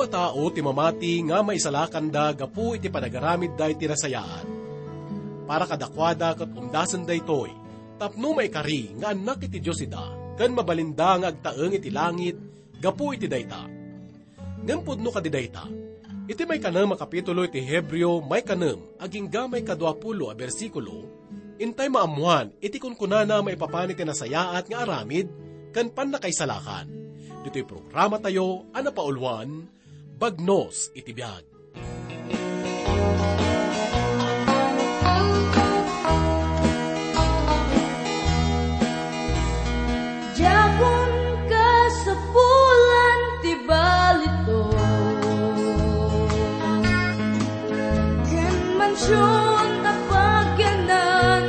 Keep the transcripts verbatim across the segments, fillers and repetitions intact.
a tao ti mamati nga maisalakanda gapu iti panagaramidda iti nasayaat. Para kadakuada ket umdasen daytoy, tapno maikari nga annak iti Dios ida, ken mabalinda nga agtaeng iti langit gapu iti dayta. Ngem pudno kadi dayta, iti maikanem a kapitulo iti Hebreo, maikanem agingga maikadua pulo a bersikulo, intay maammoan iti kunkunana maipapan iti nasayaat nga aramid ken pannakaisalakan. Ditoy programatayo a napauluan, Bagnos iti Biag. Diakon kasapulan ti balito, ken mansion a pagyanan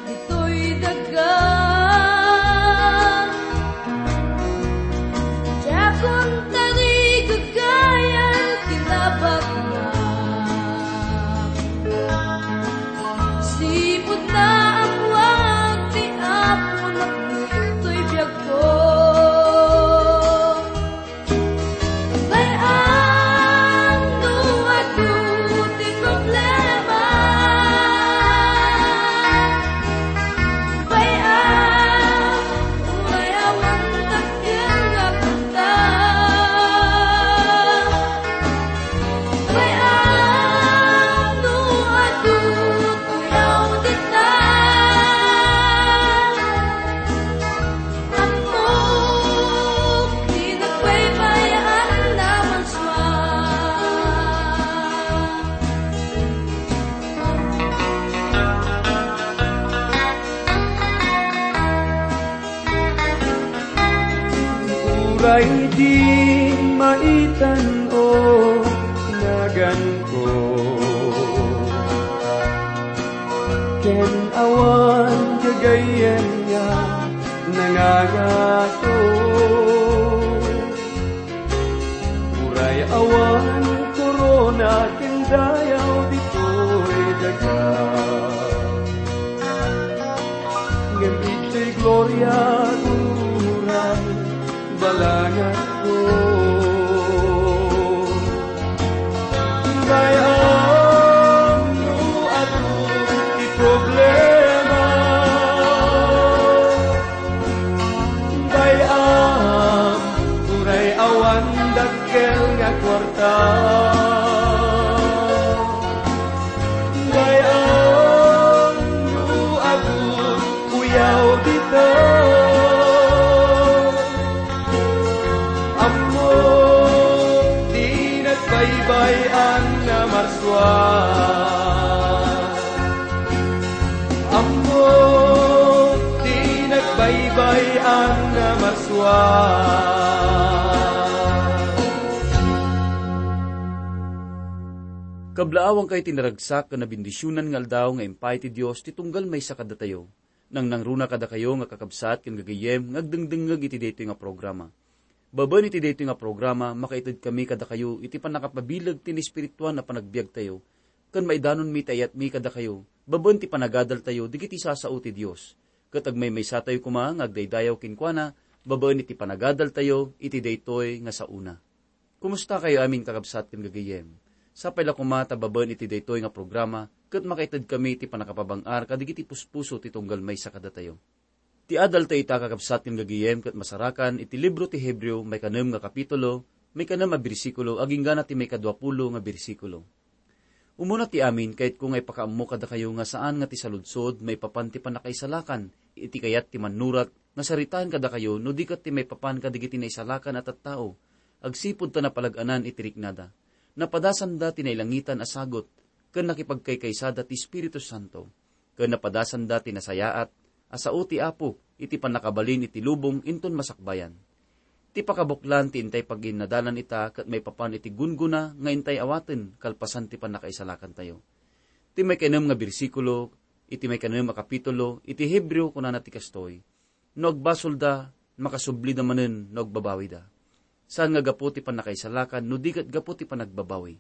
ditoy daga. Diakon tarigagayan ti nabatna. Sipud naammoak ti Apo nakditoy biagko. Bay-am no adu ti problema. Bay-am, uray awan dakkel nga kwarta. Bay-am no adu ti audita. Ammok ti nagbaybay-an a marsua. Uray di maitan-o naganko, ken awan gagayyem nga nangangato. Uray awan korona ken dayaw ditoy daga, ngem idiay gloria uray balanganko. Bay-am no adu ti problema. Bay-am, uray awan dakkel nga kuarta. Bay-am, no adu uyaw dita. Ammo ti nagbaybay-an a marsua. Ammo ti nagbaybay-an a marsua. Kablaawangkayo ti naragsak ken nabendisionan nga aldaw nga impay ti Dios ti tunggal maysa kadatayo. Nangnangruna kadakayo nga kakabsat ken gagayyem nga agdengdengngeg iti daytoy nga programa. Babaen iti daytoy nga programa, makaitedkami kadakayo iti pannakapabileg ti naespirituan a panagbiagtayo, ken maidanonmi ti ayatmi kadakayo babaen ti panagadaltayo dagiti sasao ti Dios. Ket agmaymaysatayo koma nga agdaydayaw kenkuana babaen iti panagadaltayo iti daytoy nga saona. Kumustakayo amin, kakabsat ken gagayyem? Sapay la koma ta babaen iti daytoy nga programa ket makaitedkami iti pannakapabang-ar kadagiti puspuso ti tunggal maysa kadatayo. Ti adaltayo ita, kakabsat ken gagayyem, ket masarakan iti libro ti Hebreo, maikanem nga kapitulo, maikanem a bersikulo, agingga na ti maikadua pulo nga bersikulo. Umuna ti amin, kayatko nga ipakaammo kadakayo nga saan nga ti saludsod maipapan ti pannakaisalakan iti kayat ti mannurat nga saritaen kadakayo no di ket ti maipapan kadagiti naisalakan a tattao agsipud ta napalag-anan iti riknada. Napadasanda ti nailangitan a sagut ken nakipagkaykaysada ti Espiritu Santo. Ken napadasanda ti nasayaat a sao ti Apo iti pannakabalin iti lubong inton masakbayan. Ti pakabuklan ti intay paginnadalan ita ket maipapan iti gunggona nga intay awaten kalpasan ti pannakaisalakantayo. Ti maikanem nga bersikulo iti maikanem a kapitulo iti Hebreo kunana ti kastoy, "No agbasolda, makasublida manen no agbabawida." Saan nga gapu ti pannakaisalakan no di ket gapu ti panagbabawi.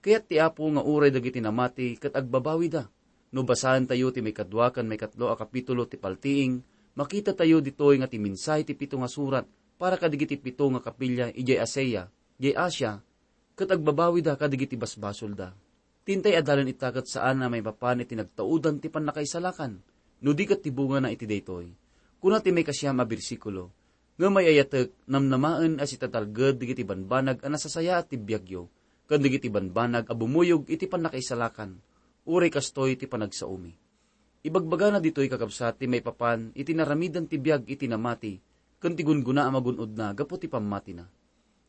Kayat ti Apo nga uray dagiti namati ket agbabawida. No basaentayo ti maikadua ken maikatlo a kapitulo ti Paltiing, makitatayo ditoy nga ti mensahe ti pito nga surat para kadagiti pito nga kapilya idiay Asia, idiay Asia, ket agbabawida kadagiti basbasolda. Ti intay adalen ita ket saan a maipapan iti nagtaudan ti pannakaisalakan, no di ket ti bungana iti daytoy. Kuna ti maikasiam a bersikulo, "Ngem ay-ayatek, namnamaen a sitatalged dagiti banbanag a nasasayaat ti biagyo, ken dagiti banbanag a bumuyog iti pannakaisalakan, uray kastoy ti panagsaomi." Ibagbagana ditoy, kakabsat, ti maipapan iti naramidan ti biag iti namati, ken ti gungguna a magun-odna gapu ti pammatina.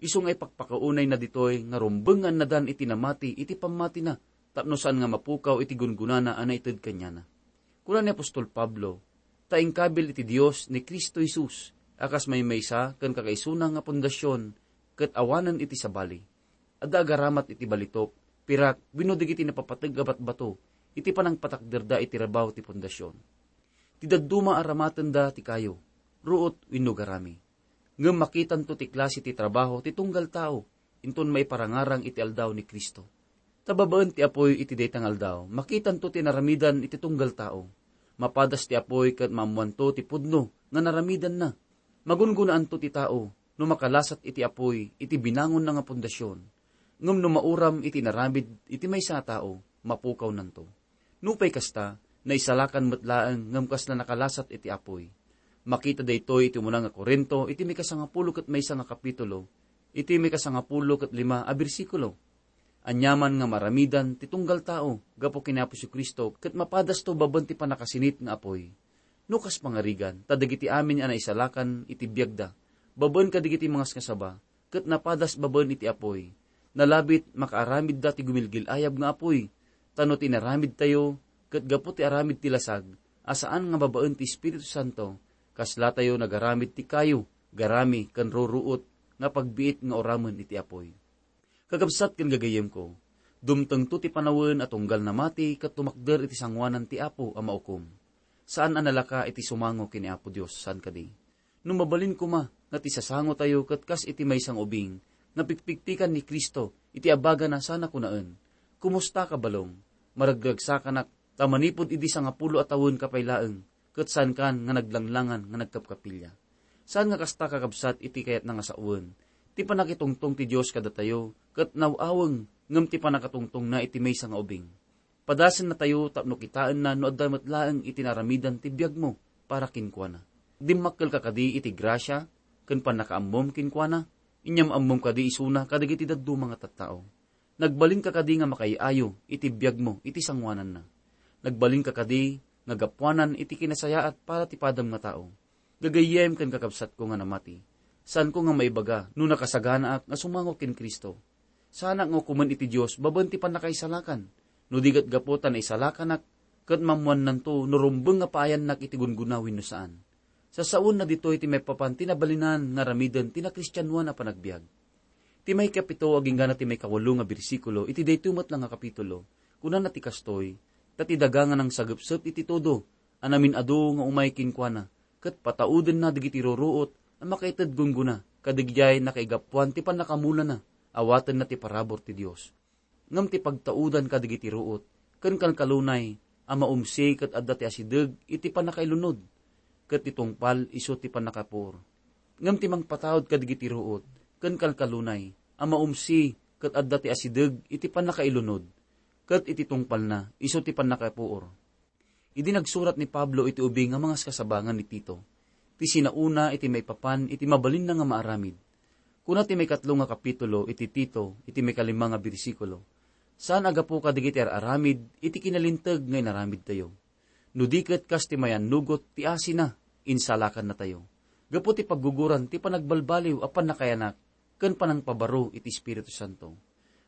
Isu nga ipakpakaunayna ditoy nga rumbeng nga annadan iti namati iti pammatina, tapno saan nga mapukaw iti gungunana a naited kaniana. Kuna ni apostol Pablo, "Ta inkabil iti Dios ni Cristo Jesus a kas maymaysa ken kakaisuna nga pundasion, ket awanen iti sabali." Adda agaramat iti balitok, pirak, wenno dagiti napapateg a batbato iti panangpatakderda iti rabaw ti pundasion. Ti dadduma a ramatenda ti kayo, ruot wenno garami. Ngem makitanto ti klase ti trabaho ti tunggal tao inton maiparangarang iti aldaw ni Cristo. Ta babaen ti apuy iti dayta nga aldaw, makitanto ti naramidan iti tunggal tao. Mapadas ti apuy ket maammoanto ti pudno nga naramidanna. Magungunaanto ti tao no makalasat iti apuy iti binangonna nga pundasion. Ngem no mauram iti inaramid iti maysa a tao, mapukawnanto. Nupay kasta, naisalakan met laeng ngem kasla nakalasat iti apuy. Makita daytoy iti umuna nga Corinto iti mikasangapulo ket maysa nga kapitulo, iti mikasangapulo ket lima a bersikulo. Aniaman nga maramidan ti tunggal tao gapu ken ni Apo Jesu-Cristo ket mapadasto babaen ti pannakasinit nga apuy. No kas pangarigan, ta dagiti amin a naisalakan iti biagda, babaen kadagiti mangasngasaba, ket napadas babaen iti apuy. Nalabit makaaramidda ti gumilgil-ayab nga apuy, ta no ti inaramidtayo, ket gapu ti aramid ti lasag, a saan nga babaen ti Espiritu Santo, kaslatayo nagaramid ti kayo, garami, ken ruruot nga pagbiit nga uramen iti apuy. Kakabsat ken gagayyemko, dumtengto ti panawen a tunggal namati ket tumakder iti sangoanan ti Apo a maukom. Saan a nalaka iti sumango ken ni Apo Dios, saan kadi? No mabalin koma nga ti sasangotayo ket kas iti maysa nga ubing nga pikpikpikan ni Cristo iti abagana sana kunaen, "Kumusta ka, balong? Maragragsakanak, ta manipud idi sangapulo a tawen ka pay laeng, ket saankan nga naglanglangan nga nagkapkapilya." Saan nga kasta, kakabsat, iti kayatna nga sawen. Ti pannakitungtong ti Dios kadatayo ket naw-aweng ngem ti pannakatungtongna iti maysa nga ubing. Padasennatayo tapno kitaenna no adda met laeng iti naramidan ti biagmo para kenkuana. Dimmakkelka kadi iti grasia ken pannakaammom kenkuana? Inyam-ammom kadi isuna kadagiti dadduma nga tattao? Nagbalinka kadi nga makaay-ayo iti biagmo iti sangoananna? Nagbalinka kadi nga gapuanan iti kinasayaat para ti padam nga tao? Gagayyem ken kakabsatko nga namati, saanko nga maibaga no nakasaganaak nga sumango ken Cristo. Saanak nga ukomen iti Dios babaen ti pannakaisalakan, no di ket gapu ta naisalakanak, ket maammoannanto no rumbeng nga paayannak iti gungguna wenno saan. Sasawenna ditoy ti maipapan ti nabalinan nga aramiden ti nakristianoan a panagbiag. Ti maikapito agingga na ti maikawalo nga bersikulo iti daytoy met la nga kapitulo, kunana ti kastoy, "Ta ti daga nga nangsagepsep iti todo a namin-adu nga umay kenkuana, ket pataudenna dagiti ruruot a makaited gunggona, kadagidiay nakaigapuan ti pannakamulana, awatenna ti parabur ti Dios." Ngem ti pagtaudan kadagiti ruot ken kalkalunay a maumsi ket adda ti asideg iti pannakailunod, ket ti tungpal isu ti pannakapuor. Ngem ti mangpataud kadagiti ruot ken kalkalunay a maumsi ket adda ti asideg iti pannakailunod, ket iti tungpalna isu ti pannakapuor. Idi nagsurat ni Pablo iti ubing nga mangaskasaba nga ni Tito, ti sinaona iti maipapan iti mabalinna nga maaramid. Kuna ti maikatlo nga kapitulo iti Tito, iti maikalima nga bersikulo, "Saan a gapu kadagiti ar-aramid iti kinalinteg nga inaramidtayo. No di ket kas ti mayannugot ti asina, insalakannatayo. Gapu ti pagguguran ti panagbalbaliw a pannakayanak ken panangpabaro iti Espiritu Santo."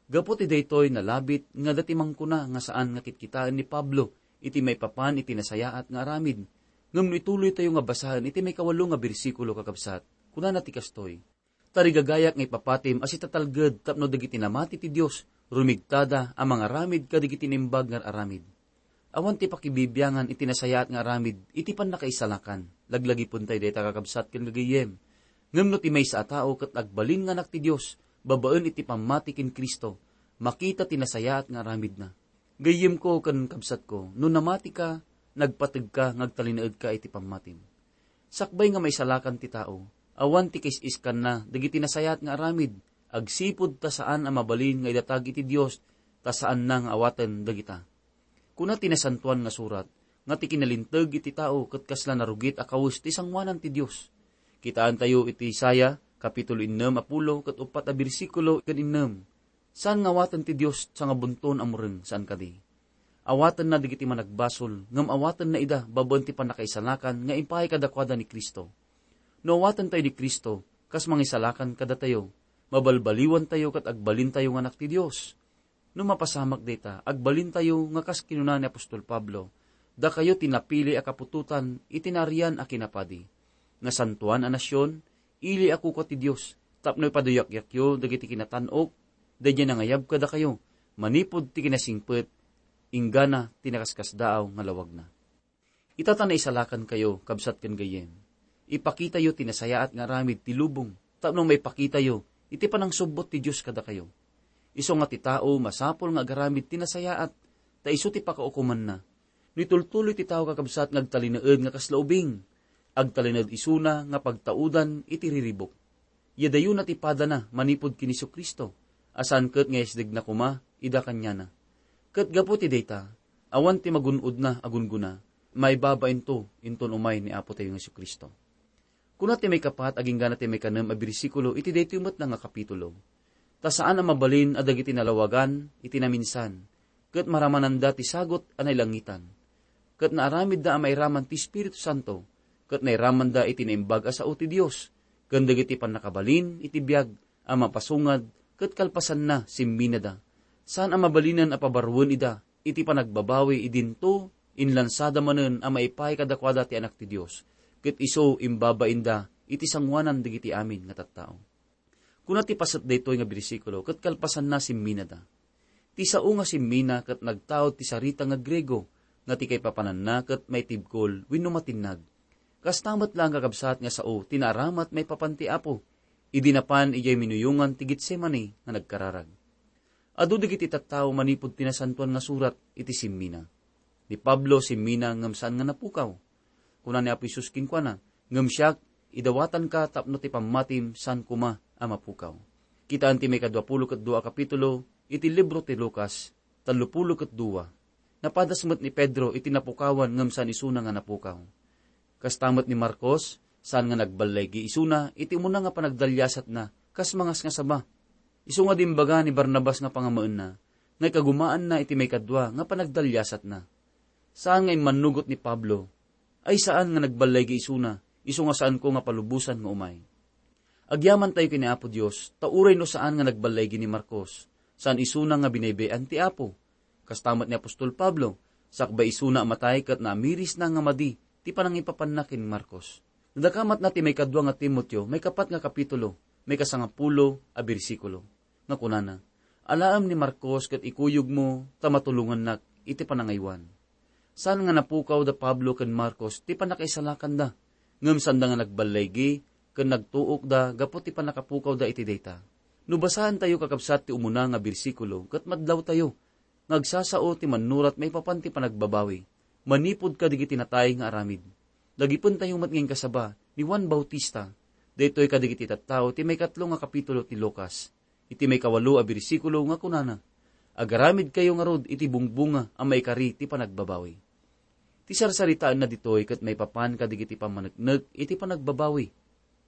Gapu ti daytoy, nalabit nga adda ti mangkuna nga saan nga kitkitaen ni Pablo iti maipapan iti nasayaat nga aramid. Ngem no ituloytayo nga basaen iti maikawalo nga bersikulo, kakabsat, kunana ti kastoy, "Tarigagayak nga ipapatim a sitatalged tapno dagiti namati ti Dios, rumigtada a mangaramid kadagiti naimbag nga aramid." Awan ti pakibibiangan iti nasayaat nga aramid iti pannakaisalakan. Laglagipentay dayta, kakabsat ken gagayyem. Ngem no ti maysa a tao ket agbalin nga anak ti Dios babaen iti pammati ken Cristo, makita ti nasayaat nga aramidna. Gayyemko ken kabsatko, no namatika, nagpategka nga agtalinaedka iti pammatim. Sakbay nga maisalakan ti tao, awan ti kais-iskanna dagiti nasayaat nga aramid Agsipud ta saan a mabalin nga idatag iti Dios, ta saanna nga awaten dagita. Kuna ti Nasantoan nga Surat, nga ti kinalinteg iti tao ket kasla narugit a kawes ti sangoanan ti Dios. Kitaentayo iti Isaiah, kapitulo ennem a pulo ket uppat a bersikulo ken ennem. Saan nga awaten ti Dios sangabunton a mureng, saan kadi? Awatenna dagiti managbasol, ngem awatenna ida babaen ti pannakaisalakan nga impaay kadakuada ni Cristo. No awatentayo ni Cristo, kas mangisalakan kadatayo, mabalbaliwantayo ket agbalintayo nga anak ti Dios. No mapasamak dayta, agbalintayo nga kas kinuna ni apostol Pablo, "Dakayo ti napili a kaputotan iti naarian a kinapadi, nga santoan a nasion, ili a kukua ti Dios, tapno ipaduyakyakyo dagiti kinatan-ok, daydiay nangayab kadakayo, manipud ti kinasingpet, inggana ti nakaskasdaaw nga lawagna." Ita ta naisalakankayo, kabsat ken gayyem, ipakitayo ti nasayaat nga aramid ti lubong tapno maipakitayo iti panangsubbot ti Dios kadakayo. Isu nga ti tao masapul nga agaramid ti nasayaat, ta isu ti pakaukomanna. No itultuloy ti tao, kakabsat, nga agtalinaed nga kasla ubing, agtalinaed isuna nga pagtaudan iti riribuk. Yadayona ti padana manipud ken Jesu-Cristo, a saan ket nga yasdegna koma ida kaniana. Ket gapu ti dayta, awan ti magun-odna a gunggona, maibabainto inton umay ni Apotayo nga Jesu-Cristo. Kuna ti maikapat agingga ti maikanem a bersikulo iti daytoy met nga kapitulo, "Ta saan a mabalin a dagiti nalawagan iti naminsan, ket maramananda ti sagut a nailangitan. Ket naaramidda a mairaman ti Espiritu Santo, ket nairamanda iti naimbag a sao ti Dios, ken dagiti pannakabalin iti biag a mapasungad, ket kalpasanna, simminada. Saan a mabalinen a pabaruen ida iti panagbabawi idinto, inlansada manen a maipaay kadakuada ti Anak ti Dios, ket isu imbabainda iti sangoanan dagiti amin nga tattao." Kuna ti paset daytoy nga bersikulo, ket kalpasanna, simminada. Ti sao nga simmina ket nagtaud ti sarita nga Griego, nga ti kaipapananna ket maitibkol wenno matinnag. Kasta met laeng, kakabsat, nga sao ti naaramat maipapan ti Apo, idi napan idiay minuyongan ti Getsemani nga nagkararag. Adu dagiti tattao manipud ti Nasantoan nga Surat iti simmina. Ni Pablo simmina ngem saan nga napukaw. Kuna ni Apo Jesus kenkuana, "Ngem siak, idawatanka tapno ti pammatim saan koma a mapukaw." Kitaen ti maikadua pulo ket dua a kapitulo iti libro ti Lucas, tallo pulo ket dua. Napadas met ni Pedro iti napukawan ngem saan isuna nga napukaw. Kasta met ni Marcos, saan nga nagballaygi isuna iti umuna nga panagdaliasatna kas mangasngasaba. Isu nga dimbaga ni Barnabas nga pangamaenna, nga ikagumaanna iti maikadua nga panagdaliasatna. Saan nga immannugot ni Pablo, "Ay, saan nga nagballaygi isuna, isu nga saanko nga palubosan nga umay." Agyamantayo ken ni Apo Dios, ta uray no saan nga nagballaygi ni Marcos, saan isuna nga binaybay-an ti Apo. Kasta met ni apostol Pablo, sakbay isuna a matay ket naamirisna nga madi ti panangipapanna ken Marcos. Nadakamatna ti maikadua nga Timoteo, maikapat nga kapitulo, maikasangapulo a bersikulo, nga kunana, "Alaem ni Marcos ket ikuyogmo ta matulongannak iti panangaywan." Saan nga napukaw da Pablo ken Marcos ti pannakaisalakanda, ngem saanda nga nagballaygi ken nagtuokda gapu ti pannakapukawda iti dayta. No basaentayo, kakabsat, ti umuna nga bersikulo, ket madlawtayo nga agsasao ti mannurat maipapan ti panagbabawi manipud kadagiti natay nga aramid. Dagipentayo met nga inkasaba ni Juan Bautista daytoy kadagiti tattao ti maikatlo nga kapitulo ti Lucas, iti maikawalo a bersikulo, nga kunana, "Agaramidkayo ngarud iti bungbunga a maikari ti panagbabawi." Ti sarsaritaenna ditoy ket maipapan kadagiti pammaneknek iti panagbabawi.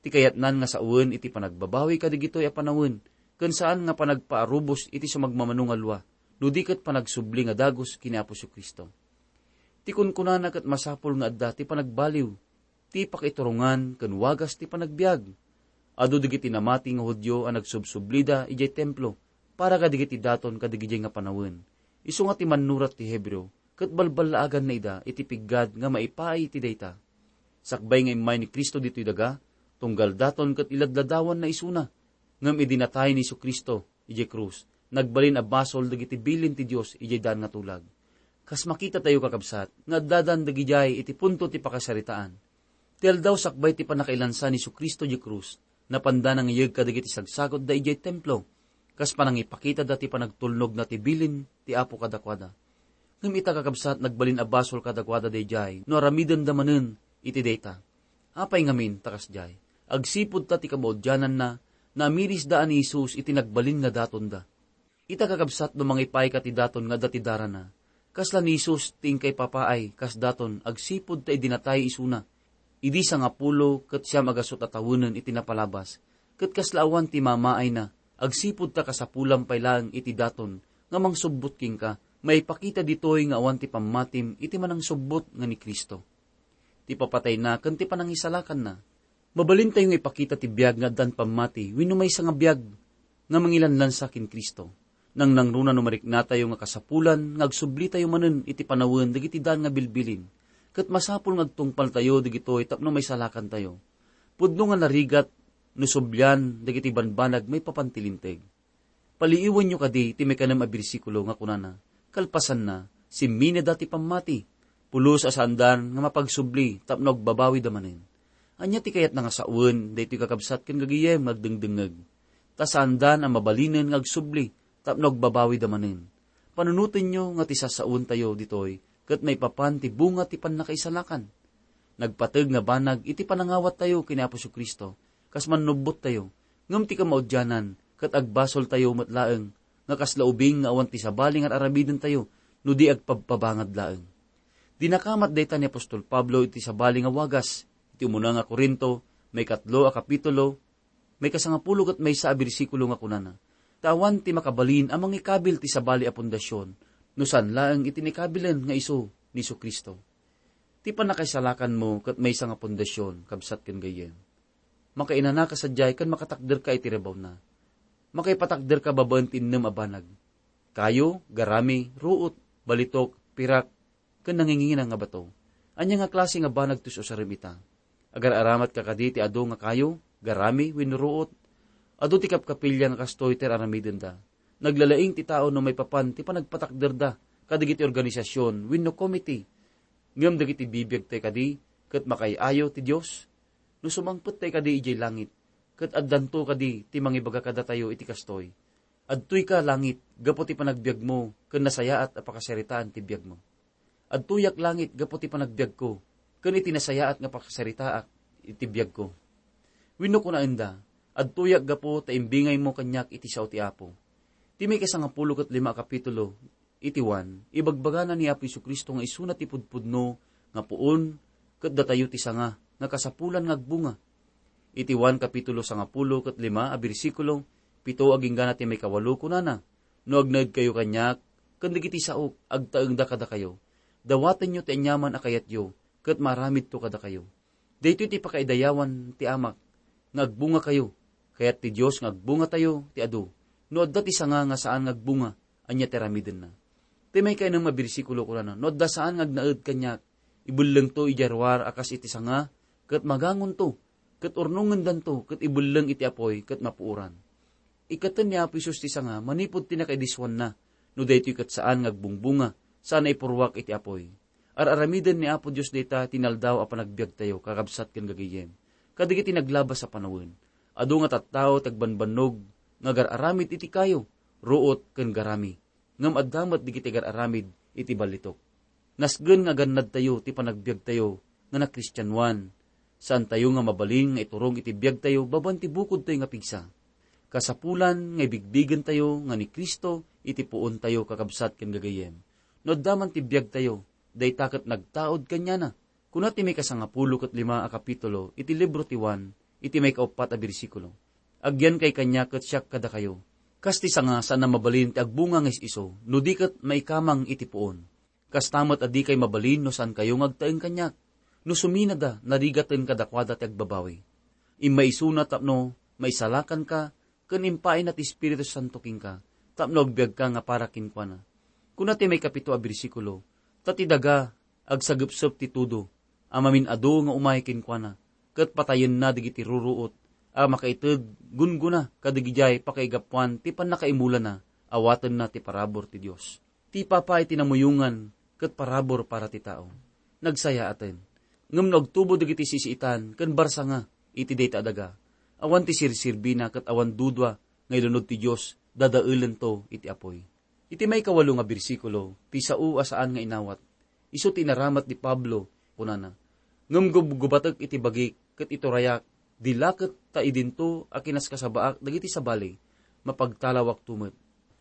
Ti kayatnan nga sawen iti panagbabawi kadagitoy a panawen, ken saan nga panagpaarubos iti sumagmamano nga lua, no di ket panagsubli nga dagus ken ni Apo Jesu-Cristo. Ti kunkunana ket masapul nga adda ti panagbaliw, ti pakaiturungan ken wagas ti panagbiag. Adu dagiti namati nga Judio a nagsubsublida idiay Templo para kadagiti daton kadagidiay nga panawen. Isu nga ti mannurat ti Hebreo ket balballaaganna ida iti piggad nga maipaay iti dayta. Sakbay nga immay ni Cristo ditoy daga, tunggal daton ket iladladawanna isuna. Ngem idi natay ni Jesu-Cristo idiay krus, nagbalin a basol dagiti bilin ti Dios idiay daan nga tulag. Kas makitatayo, kakabsat, nga addadan dagidiay iti punto ti pakasaritaan. Ti aldaw sakbay ti pannakailansa ni Jesu-Cristo idiay krus, napanda nangiyeg kadagiti sagsagutda idiay Templo, kas panangipakitada ti panagtulnogna ti bilin ti Apo kadakuada. Ngem ita, kakabsat, nagbalin a basol kadakuada daydiay no aramidenda manen iti dayta. Apay ngamin ta kasdiay? Agsipud ta ti kamaudiananna Naamirisda a ni Jesus iti nagbalin nga datonda. Ita, kakabsat, no mangipayka ti daton nga adda ti darana, kasla ni Jesus ti inkay papaay kas daton agsipud ta idi natay isuna. Idi sangapulo ket siam a gasut a tawenen iti napalabas, ket kasla awan ti mamaayna, agsipud ta kasapulam pay laeng iti daton nga mangsubbot kenka, maipakita ditoy nga awan ti pammatim iti manangsubbot nga ni Cristo. Ti papatayna ken ti panangisalakanna. Mabalintayo nga ipakita ti biag nga addan pammati wenno maysa nga biag nga mangilanlansa ken Cristo. Nangnangruna no mariknatayo nga kasapulan nga agsublitayo manen iti panawen dagiti daan nga bilbilin, ket masapul nga agtungpaltayo dagitoy tapno maisalakantayo. Pudno nga narigat no sublian dagiti banbanag maipapan ti Linteg. Paliiwenyo kadi ti maikanem a bersikulo nga kunana, "Kalpasanna, simmineda ti pammati, pulos a saandan nga mapagsubli tapno agbabawida manen." Ania ti kayatna nga sawen daytoy, kakabsat ken gagayem nga agdengdengngeg? Ta saandan a mabalinen nga agsubli tapno agbabawida manen. Panunotenyo nga ti sasawentayo ditoy ket maipapan ti bunga ti pannakaisalakan. Nagpateg nga banag iti panangawattayo ken ni Apo Jesu-Cristo, kas mannubbottayo, ngem ti kamaudianan ket agbasoltayo met laeng nga kasla ubing nga awan ti sabali nga ar-aramidentayo no di agpabpabangad laeng. Dinakamat dayta ni apostol Pablo iti sabali nga wagas, iti umuna nga Corinto, maikatlo a kapitulo, maikasangapulo ket maysa a bersikulo nga kunana, "Ta awan ti makabalin a mangikabil ti sabali a pundasyon, no saan laeng iti nikabilen nga isu ni Jesu-Cristo." Ti pannakaisalakanmo ket maysa nga pundasyon, kabsat ken gayyem. Makainanaka sadiay ken makatakderka iti rebawna. Makaipatakderka babaen ti innem a banag. Kayo, garami, ruot, balitok, pirak, ken nangingina nga bato. Ania nga klase nga banag ti usarem ita? Agar-aramatka kadi ti adu nga kayo, garami, wenno ruot? Adu ti kapkapilya nga kastoy ti ar-aramidenda. Naglalaing ti tao no maipapan ti panagpatakderda kadagiti organisasyon wenno komite. Ngem dagiti bibiagtayo kadi ket makaay-ayo ti Dios? No sumangpettayo kadi idiay langit, ket addanto kadi ti mangibaga kadatayo iti kastoy, "Adtoyka langit gapu ti panagbiagmo ken nasayaat a pakasaritaan ti biagmo. Adtoyak langit gapu ti panagbiagko ken iti nasayaat nga pakasaritaak iti biagko." Wenno kunaenda, "Adtoyak gapu ta imbingaymo kaniak iti sao ti Apo." Ti maikasangapulo ket lima a kapitulo iti Juan, ibagbagana ni Apo Jesu-Cristo nga isuna ti pudpudno nga puon ket datayo ti sanga nga kasapulan nga agbunga. Iti Juan kapitulo sangapulo ket lima a bersikulo, pito agingga ti maikawalo, kunana, "No agnaedkayo kaniak, ken dagiti saok, agtaengda kadakayo. Dawatenyo ti aniaman a kayatyo, ket maaramidto kadakayo." Daytoy ti pakaidayawan ti Amak, nga agbungakayo. Kayat ti Dios nga agbungatayo ti adu. No adda ti sanga nga saan nga agbunga, ania ti aramidenna? Ti maikainnem a bersikulo kunana, "No adda saan nga agnaed kaniak, ibellengto idiay ruar a kas iti sanga, ket magangonto, ket urnongendanto, ket ibelleng iti apuy, ket mapuoran." Ikkaten ni Apo Jesus ti sanga manipud ti nakaidisuanna. No daytoy ket saan nga agbungbunga, saan a ipurruak iti apuy. Ar-aramiden ni Apo Dios dayta ti inaldaw a panagbiagtayo, kakabsat ken gagayyem. Kadagiti naglabas a panawen, adu nga tattao ti agbanbannog nga agar-aramid iti kayo, ruot ken garami. Ngem adda met dagiti agar-aramid iti ballitok. Nasken nga agannadtayo ti panagbiagtayo nga nakristianoan. Saantayo nga mabalin nga iturong iti biagtayo babaen ti bukodtayo nga pigsa. Kasapulan nga ibigbigentayo nga ni Cristo iti puontayo, kakabsat ken gagayyem. No adda man ti biagtayo, dayta ket nagtaud kaniana. Kuna ti maikasangapulo ket lima a kapitulo iti libro ti Juan, iti maikauppat a bersikulo, "Agyankay kaniak ket siak kadakayo." Kas ti sanga, saan a mabalin ti agbunga nga is-isu, no di ket maikamang iti puon. Kasta met a dikay mabalin no saankayo nga agtaeng kaniak. No suminada, narigaten kadakuada ti agbabawi. Immaisuna tapno maisalakanka ken impaayna ti Espiritu Santo kenka, tapno agbiagka nga para kenkuana. Kuna ti maikapito a bersikulo, "Ta ti daga agsagepsep ti tudo a mamin-adu nga umay kenkuana, ket patayenna dagiti ruruot a makaited gunggona kadagidiay pakaigapuan ti pannakaimulana, awatenna ti parabur ti Dios." Ti papa iti namuyongan ket parabur para ti tao. Nagsayaaten. Ngem no agtubo dagiti sisiitan ken barsanga iti dayta a daga, awan ti sirsirbina ket awan dudua nga ilunod ti Dios, dadaelento iti apuy. Iti maikawalo nga bersikulo, ti sao a saan nga inawat, isu ti inaramat ni Pablo, kunana, "Ngem gubgubatek iti bagik ket iturayak Di la ket ta idinto a kinaskasabaak dagiti sabali, mapagtalawakto met.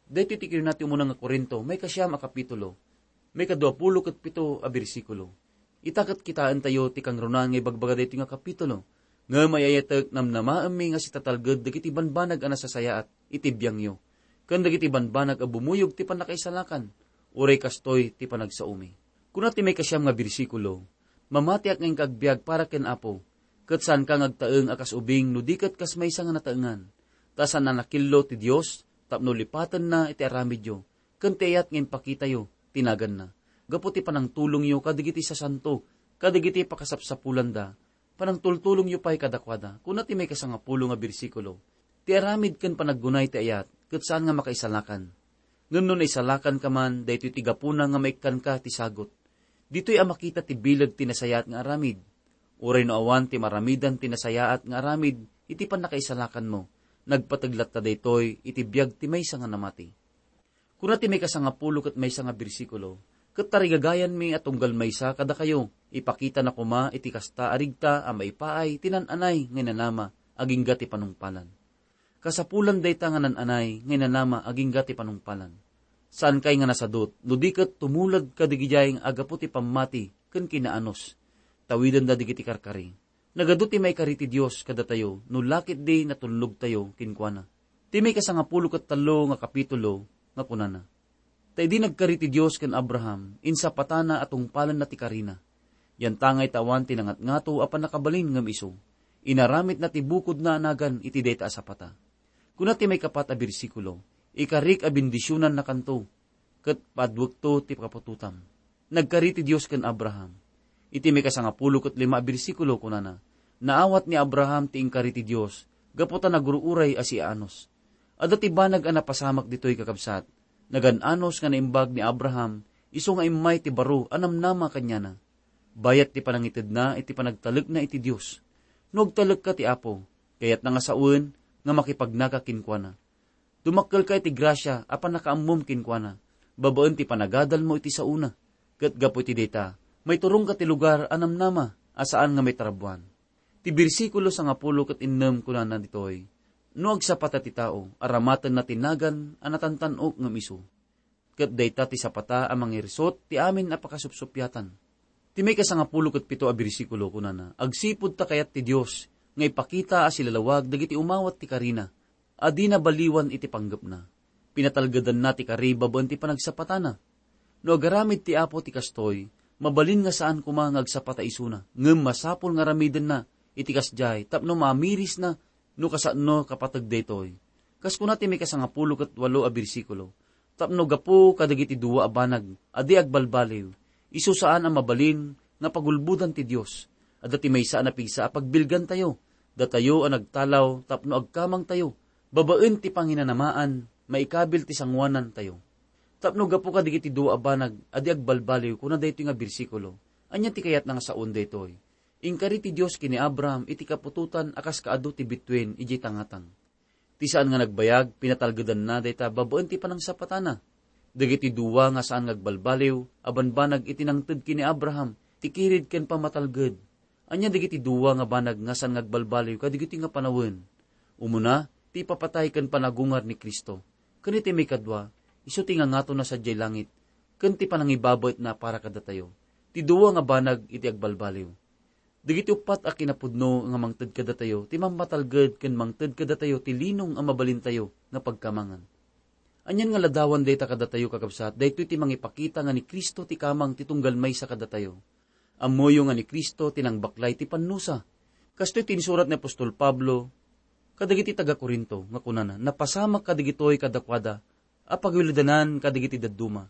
Daytoy ti kinuna ti umuna nga Corinto, maikasiam a kapitulo, maikadua pulo ket pito a bersikulo. Ita ket kitaentayo ti kangrunaan nga ibagbaga daytoy nga kapitulo. Ngem ay-ayatek, namnamaenmi nga sitatalged dagiti banbanag a nasasayaat iti biangyo, ken dagiti banbanag a bumuyog ti pannakaisalakan, uray kastoy ti panagsaomi. Kuna ti maikasiam nga bersikulo, "Mamatiak nga inka agbiag para ken Apo, ket saanka nga agtaeng a kas ubing no di ket kas maysa nga nataengan. Ta saan a nakillo ti Dios tapno lipatenna iti aramidyo, ken ti ayat nga impakitayo ti naganna, gapu ti panangtulongyo kadagiti sasanto, kadagiti pakasapsapulanda, panangtultulongyo pay kadakuada." Kuna ti maikasangapulo nga bersikulo, "Ti aramid ken panaggunay ti ayat ket saan nga makaisalakan. Ngem no naisalakanka man, daytoy ti gapuna nga maikkanka ti sagut. Ditoy a makita ti bileg ti nasayaat nga aramid. Uray no awan ti maramidan ti nasayaat nga aramid iti pannakaisalakanmo, nagpateg latta daytoy iti biag ti maysa nga namati." Kuna ti maikasangapulo ket maysa nga bersikulo, "Ket tarigagayanmi a tunggal maysa kadakayo, ipakitana koma iti kasta a rigta a maipaay ti nan-anay nga inanama agingga ti panungpalan. Kasapulan dayta nga nan-anay nga inanama agingga ti panungpalan. Saankay nga nasadut no di ket tumulag kadagidiay nga agapu ti pammati ken kinaanus. Tawidenda dagiti karkari. Nagadu ti maikari ti Dios kadatayo no la ketdi natulnogtayo kenkuana." Ti maikasangapulo ket tallo nga kapitulo nga kunana, "Ta idi nagkari ti Dios ken Abraham, insapatana a tungpalenna ti karina. Yantangay ta awan ti nangatngato a pannakabalin ngem isu. Inaramidna ti bukodna a nagan iti dayta a sapata." Kuna ti maikapat a bersikulo, "Ikarik a bendisionannakanto, ket paduekto ti kaputotam." Nagkari ti Dios ken Abraham. Iti maikasangapulo ket lima a bersikulo, kunana, "Naawat ni Abraham ti inkari ti Dios gapu ta nagur-uray a siaanus." Adda ti banag a napasamak ditoy, kakabsat. Nagan-anus nga naimbag ni Abraham isu nga immay ti baro a namnama kaniana, bayat ti panangitedna iti panagtalekna iti Dios. No agtalekka ti Apo, kayatna nga sawen nga makipagnaka kenkuana. Dumakkelka iti grasia a pannakaammom kenkuana, babaen ti panagadalmo iti saona. Ket gapu iti dayta, maiturongka ti lugar a namnama a saan nga maitarabbuan. Ti bersikulo sangapulo ket innem kunana ditoy, "No agsapata ti tao, aramatenna ti nagan a natantan-ok ngem isu." Ket dayta ti sapata a mangirsut ti amin a pakasupsupiatan. Ti maikasangapulo ket pito a bersikulo kunana, "Agsipud ta kayat ti Dios nga ipakita a silalawag dagiti umawat ti karina a di nabaliwan iti panggepna. Pinatalgedanna ti kari babaen ti panagsapatana. No agaramid ti Apo ti kastoy, mabalin nga saan koma nga agsapata isuna, ngem masapul nga aramidenna iti kasdiay tapno mamirisna no kasano kapateg daytoy." Kas kuna ti maikasangapulo ket walo a bersikulo, "Tapno gapu kadagiti dua a banag a di agbalbaliw, isu saan a mabalin nga pagulbodan ti Dios. Adda ti maysa a napigsa a pagbilgantayo, datayo a nagtalaw tapno agkamangtayo babaen ti panginanamaan maikabil ti sangoanantayo. Tapno gapu kadagiti dua a banag a di agbalbaliw," kuna daytoy nga bersikulo. Ania ti kayatna nga saon daytoy? Inkari ti Dios ken ni Abraham iti kaputotan a kas kaadu ti bituen idiay tangatang. Ti saan nga nagbayag, pinatalgedanna dayta babaen ti panangsapatana. Dagiti dua nga saan nga agbalbaliw a banbanag iti nangted ken ni Abraham ti kirid ken pammatalged. Ania dagiti dua nga banag nga saan nga agbalbaliw kadagiti nga panawen? Umuna, ti ipapatay ken panagungar ni Cristo. Ken iti maikadua, isu ti ngangatona sadiay langit ken ti panangibabaetna para kadatayo. Ti dua nga banag iti agbalbaliw. Dagiti uppat a kinapudno nga mangted kadatayo ti mammatalged ken mangted kadatayo ti linong a mabalintayo nga pagkamangan. Anian nga ladawan dayta kadatayo, kakabsat? Daytoy ti mangipakita nga ni Cristo ti kamang ti tunggal maysa kadatayo. Ammoyo nga ni Cristo ti nangbaklay ti pannusa. Kastoy ti insurat ni apostol Pablo kadagiti taga-Corinto nga kunana, "Napasamak kadagitoy kadakuada a pagiwilidanan kadagiti dadduma,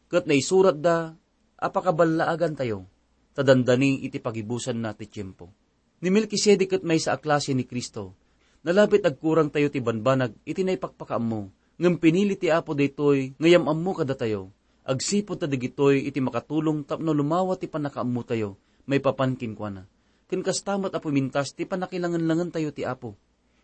ket naisuratda a pakaballaagantayo, ta dandani iti pagibusanna ti tiempo." Ni Melkisedek ket maysa a klase ni Cristo. Nalabit agkurangtayo ti banbanag iti naipakpakaammo, ngem pinili ti Apo daytoy nga yam-ammo kadatayo, agsipud ta dagitoy iti makatulong tapno lumawa ti pannakaammotayo maipapan kenkuana. Ken kasta met a pumintas ti pannakilangenlangentayo ti Apo.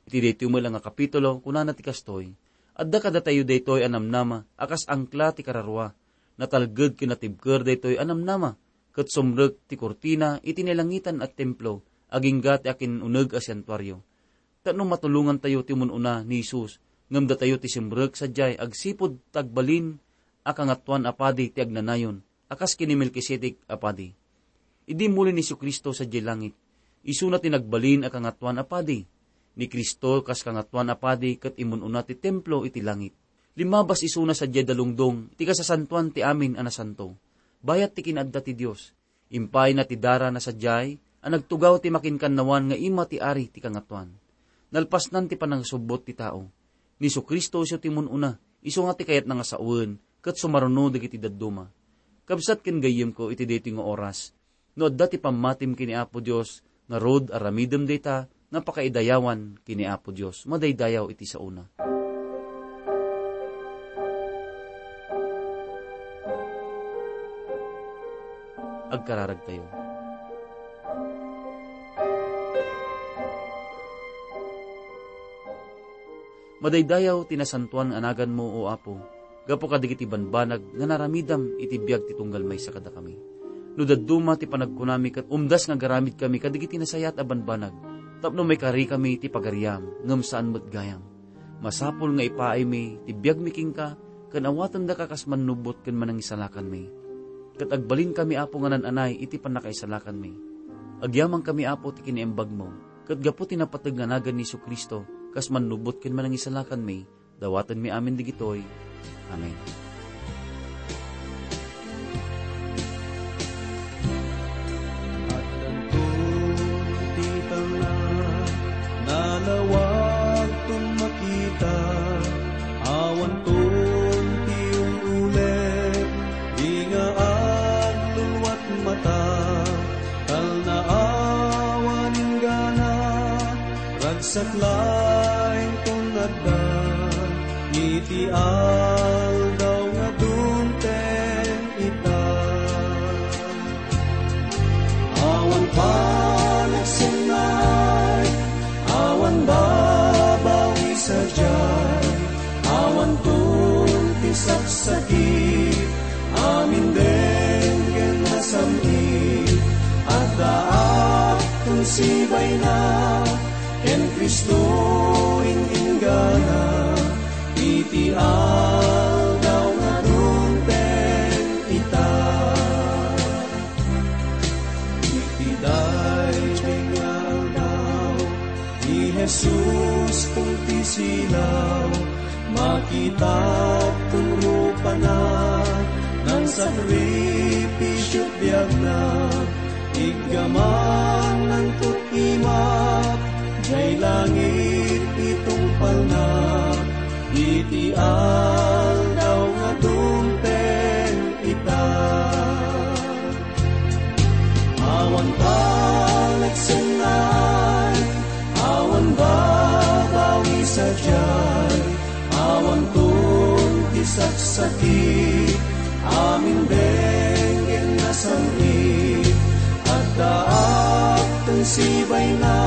Iti daytoy met la nga kapitulo, kunana ti kastoy, "Adda kadatayo daytoy a namnama a kas angkla ti kararua. Natalged ken natibker daytoy a namnama, ket sumrek ti kurtina iti nailangitan a templo agingga ti akin-uneg a santuario. Tapno matulongantayo ti umun-una ni Jesus, ngem datayo ti simrek sadiay agsipud ta agbalin a Kangatoan a Padi ti agnanayon a kas ken ni Melkisedek a padi. Idi muli ni Jesu-Cristo sadiay langit, isuna ti nagbalin a Kangatoan a Padi. Ni Cristo kas Kangatoan a Padi ket imun-una ti templo iti langit. Limmabas isuna sadiay dalungdong ti kasasantoan ti amin a nasanto, bayat ti kinaadda ti Dios. Impayna ti dara na sadiay a nagtugaw ti makinkannawan nga ima ti Ari ti Kangatoan. Nalpasnan ti panangasubbot ti tao. Ni Jesu-Cristo isu ti mun-una, isu nga ti kayatna nga sawen ket sumaruno dagiti dadduma. Kabsat ken gayyemko iti daytoy nga oras, no adda ti pammatim ken ni Apo Dios, ngarud aramidem dayta nga pakaidayawan ken ni Apo Dios. Madaydayaw iti saona. Agkararagtayo. Madaydayaw ti nasantoan nga naganmo, O Apo, gapu kadagiti banbanag nga naramidam iti biag ti tunggal maysa kadakami. No dadduma ti panagkunami ket umdas nga agaramidkami kadagiti nasayaat a banbanag, tapno maikarikami ti pagariam, ngem saan met gayam. Masapul nga ipaaymi ti biagmi kenka ken awatendaka kas mannubot ken manangisalakanmi. Ket agbalinkami, Apo, nga naan-anay iti pannakaisalakanmi. Agyamankami, Apo, ti kinaimbagmo, ket gapu ti napateg nga nagan ni Jesu-Cristo kas mannubot ken manangisalakanmi, dawatenmi amin dagitoy. Amen. Addanton ti talna, nalawagton makita, awanton ti ul-ulep, di nga agluluat mata, talna awan inggana, ragsak laeng ton adda, iti aldaw nga dumteng ita. Awan panagsennaay, awan babawi sadiay, awanton ti saksakit, amin denggen nasam-it, addaak ton sibayna, ken Cristo ing-inggana, iti aldaw nga dumteng ita. Iti daytoy nga aldaw, ni Jesus ton ti silaw, makitaton rupana, nangsakripisio ti biagna, iggamananto imak, jay langit ti tungpalna, iti aldaw nga dumteng ita. Awan panagsennaay, awan babawi sadiay, awanton ti saksakit, amin denggen nasam-it, addaak ton sibayna,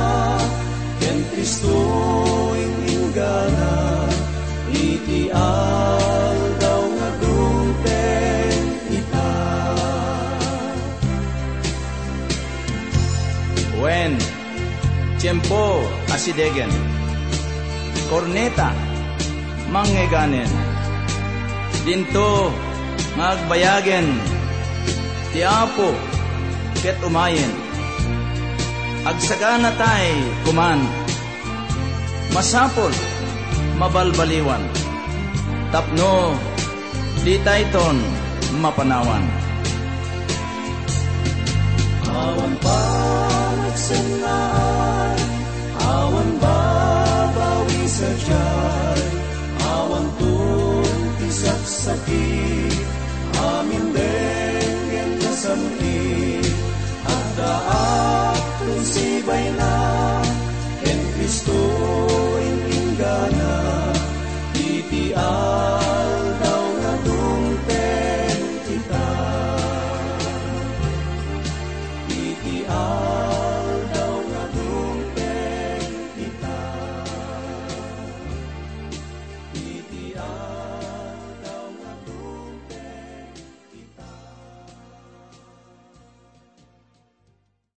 ken Cristo ing-inggana, iti aldaw nga dumteng ita. Wen, tiempo a sidegen. Korneta, mangngegnen. Dinto nga agbayagen ti Apo ket umayen. Agsaganatay koman. Masapul, mabalbaliwan, tapno ditayton mapanawan. Awan panagsennaay, awan babawi sadiay, awanton ti saksakit, amin denggen nasam-it, addaak ton sibayna, ken Cristo ing-inggana, iti aldaw nga dumteng ita. Iti